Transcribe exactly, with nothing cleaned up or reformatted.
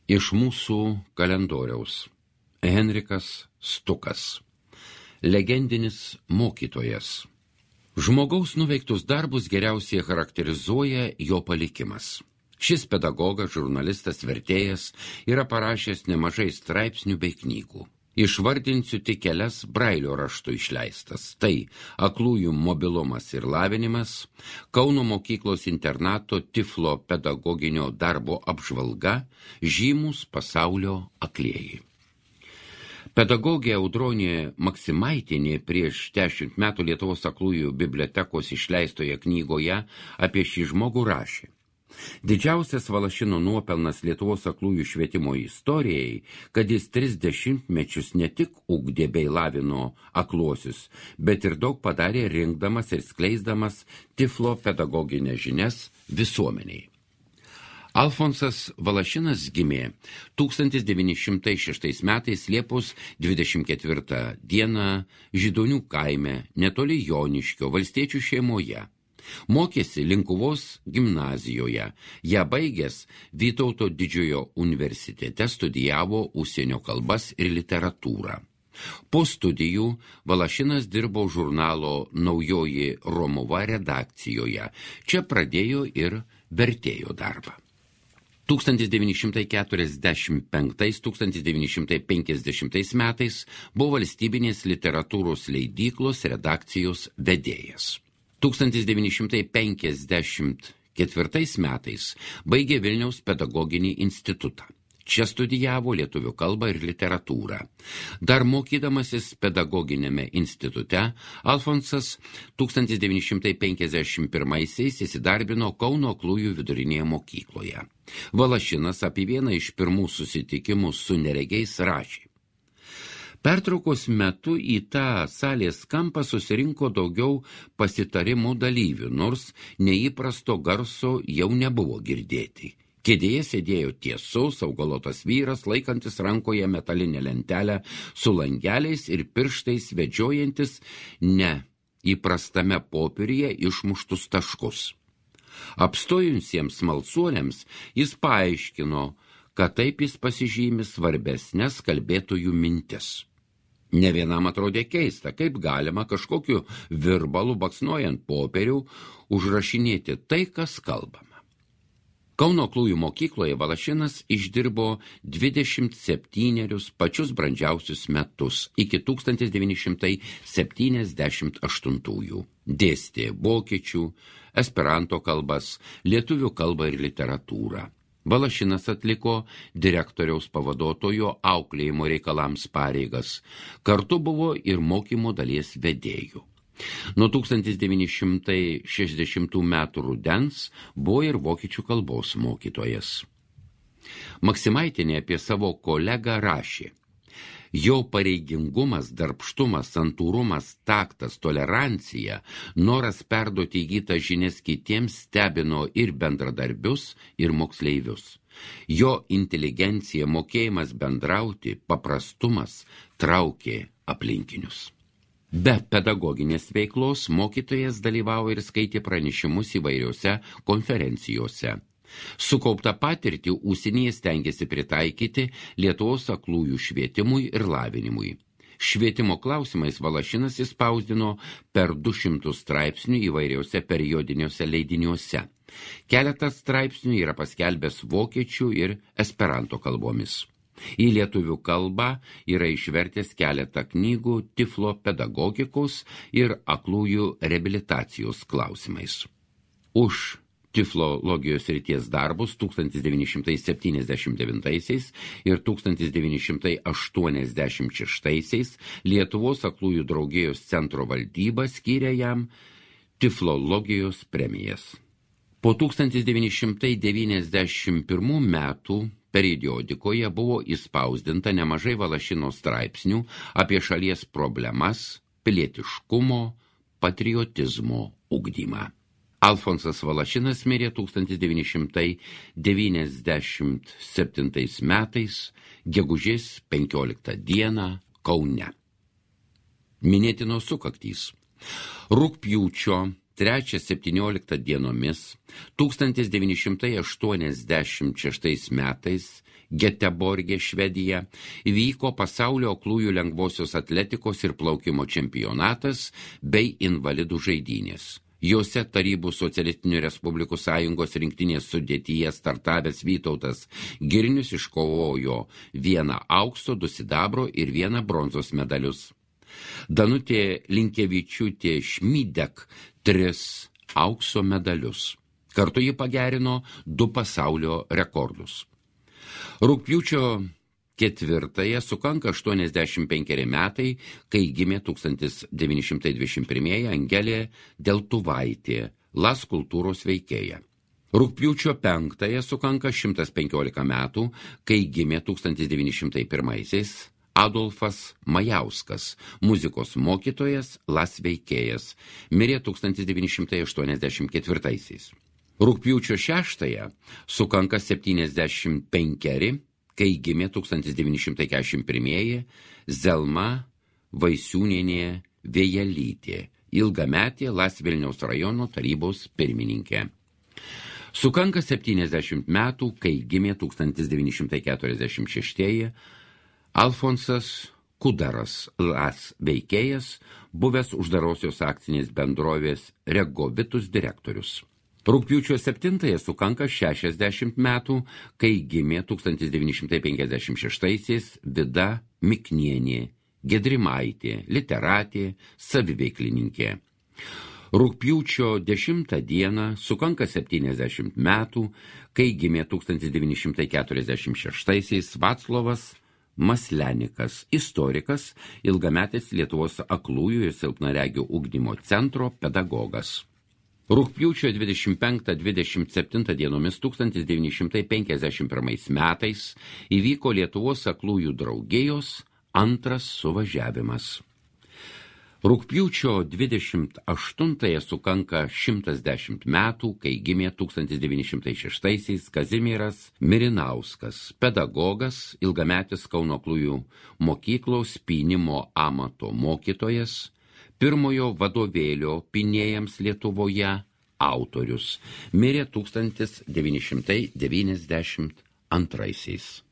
Iš mūsų kalendoriaus. Henrikas Stukas. Legendinis mokytojas. Žmogaus nuveiktus darbus geriausiai charakterizuoja jo palikimas. Šis pedagogas, žurnalistas, vertėjas yra parašęs nemažai straipsnių bei knygų. Išvardinsiu tik kelias Brailio raštu išleistas. Tai Aklųjų mobilumas ir lavinimas, Kauno mokyklos internato Tiflo pedagoginio darbo apžvalga, Žymūs pasaulio aklieji. Pedagogė Audronė Maksimaitienė prieš dešimt metų Lietuvos aklųjų bibliotekos išleistoje knygoje apie šį žmogų rašė. Didžiausias Valašino nuopelnas Lietuvos aklųjų švietimo istorijai, kad jis tris dešimtmečius ne tik ugdė bei lavino akluosius, bet ir daug padarė rinkdamas ir skleisdamas Tiflo pedagoginės žinias visuomeniai. Alfonsas Valašinas gimė tūkstantis devyni šimtai šeštais metais Liepos dvidešimt ketvirtą dieną Židonių kaime netoli Joniškio valstiečių šeimoje. Mokėsi Linkuvos gimnazijoje, ją baigęs Vytauto didžiojo universitete studijavo užsienio kalbas ir literatūrą. Po studijų Valašinas dirbo žurnalo Naujoji Romuva redakcijoje, čia pradėjo ir vertėjo darbą. tūkstantis devyni šimtai keturiasdešimt penktais - tūkstantis devyni šimtai penkiasdešimtais metais buvo valstybinės literatūros leidyklos redakcijos vedėjas. tūkstantis devyni šimtai penkiasdešimt ketvirtais metais baigė Vilniaus pedagoginį institutą. Čia studijavo lietuvių kalbą ir literatūrą. Dar mokydamasis pedagoginėme institute, Alfonsas tūkstantis devyni šimtai penkiasdešimt pirmaisiais įsidarbino Kauno aklųjų vidurinėje mokykloje. Valašinas apie vieną iš pirmų susitikimų su neregiais rašė. Pertraukos metu į tą salės kampą susirinko daugiau pasitarimų dalyvių, nors neįprasto garso jau nebuvo girdėti. Kėdėje sėdėjo tiesus, augalotas vyras, laikantis rankoje metalinę lentelę su langeliais ir pirštais vedžiojantis ne įprastame popieriuje išmuštus taškus. Apstojusiems smalsuoliams jis paaiškino, kad taip jis pasižymi svarbesnės kalbėtojų mintis. Ne vienam atrodė keista, kaip galima kažkokiu virbalu baksnuojant popierių užrašinėti tai, kas kalbama. Kauno aklųjų mokykloje Valašinas išdirbo dvidešimt septynerius pačius brandžiausius metus iki tūkstantis devyni šimtai septyniasdešimt aštuntųjų. Dėstė vokiečių, esperanto kalbas, lietuvių kalbą ir literatūrą. Valašinas atliko direktoriaus pavaduotojo auklėjimo reikalams pareigas. Kartu buvo ir mokymo dalies vedėjų. Nuo tūkstantis devyni šimtai šešiasdešimtų metų rudens buvo ir vokiečių kalbos mokytojas. Maksimaitienė apie savo kolegą rašė. Jo pareigingumas, darbštumas, santūrumas, taktas, tolerancija, noras perduoti įgytą žinias kitiems stebino ir bendradarbius, ir moksleivius. Jo inteligencija, mokėjimas bendrauti, paprastumas traukė aplinkinius. Be pedagoginės veiklos mokytojas dalyvavo ir skaitė pranešimus įvairiose konferencijose. Sukauptą patirtį užsienyje stengiasi pritaikyti Lietuvos aklųjų švietimui ir lavinimui. Švietimo klausimais Valašinas įspausdino per du šimtus straipsnių įvairiuose periodiniuose leidiniuose. Keletas straipsnių yra paskelbęs vokiečių ir esperanto kalbomis. Į lietuvių kalbą yra išvertęs keletą knygų Tiflo pedagogikos ir aklųjų reabilitacijos klausimais. Už tiflologijos srities darbus tūkstantis devyni šimtai septyniasdešimt devintaisiais ir tūkstantis devyni šimtai aštuoniasdešimt šeštaisiais Lietuvos aklųjų draugijos centro valdyba skyrė jam tiflologijos premijas. Po tūkstantis devyni šimtai devyniasdešimt pirmų metų periodikoje buvo įspausdinta nemažai Valašino straipsnių apie šalies problemas, pilietiškumo, patriotizmo ugdymą. Alfonsas Valašinas mirė tūkstantis devyni šimtai devyniasdešimt septintais metais, gegužės penkioliktą dieną Kaune. Minėtinos sukaktys. Rugpjūčio trečią septynioliktą dienomis tūkstantis devyni šimtai aštuoniasdešimt šeštais metais Geteborge, Švedija, vyko pasaulio aklųjų lengvosios atletikos ir plaukimo čempionatas bei invalidų žaidynės. Jose Tarybų socialistinių respublikų sąjungos rinktinės sudėtyje startavęs Vytautas Girnius iškovojo vieną aukso, du sidabro ir vieną bronzos medalius. Danutė Linkevičiūtė Šmydek tris aukso medalius. Kartu ji pagerino du pasaulio rekordus. Rugpjūčio ketvirtąją sukanka aštuoniasdešimt penkeri metai, kai gimė tūkstantis devyni šimtai dvidešimt pirmieji Angelė Deltuvaitė, Las kultūros veikėja. Rugpjūčio penktąją sukanka šimtas penkiolika metų, kai gimė tūkstantis devyni šimtai pirmaisiais Adolfas Majauskas, muzikos mokytojas, Las veikėjas, mirė tūkstantis devyni šimtai aštuoniasdešimt ketvirtaisiais. Rugpjūčio šeštąją sukanka septyniasdešimt penkeri, kai gimė tūkstantis devyni šimtai keturiasdešimt pirmieji Zelma Vaisiūnienė Vėjelytė, ilgametė Las Vilniaus rajono tarybos pirmininkė. Sukanka septyniasdešimt metų, kai gimė tūkstantis devyni šimtai keturiasdešimt šeštieji Alfonsas Kudaras, Las veikėjas, buvęs uždarosios akcinės bendrovės Regovitus direktorius. Rugpjūčio septintąją sukanka šešiasdešimt metų, kai gimė tūkstantis devyni šimtai penkiasdešimt šeštaisiais Vida Miknienė, Gedrimaitė, literatė, saviveiklininkė. Rugpjūčio dešimtą dieną sukanka septyniasdešimt metų, kai gimė tūkstantis devyni šimtai keturiasdešimt šeštaisiais Vaclovas Maslenikas, istorikas, ilgametis Lietuvos aklųjų ir silpnaregių ugdymo centro pedagogas. Rugpjūčio dvidešimt penktą dvidešimt septintą dienomis tūkstantis devyni šimtai penkiasdešimt pirmais metais įvyko Lietuvos aklųjų draugijos antras suvažiavimas. Rugpjūčio dvidešimt aštuntąją sukanka šimtas dešimt metų, kai gimė tūkstantis devyni šimtai šeštaisiais Kazimieras Mirinauskas, pedagogas, ilgametis Kauno aklųjų mokyklos pynimo amato mokytojas, pirmojo vadovėlio pynėjams Lietuvoje autorius, mirė tūkstantis devyni šimtai devyniasdešimt antraisiais.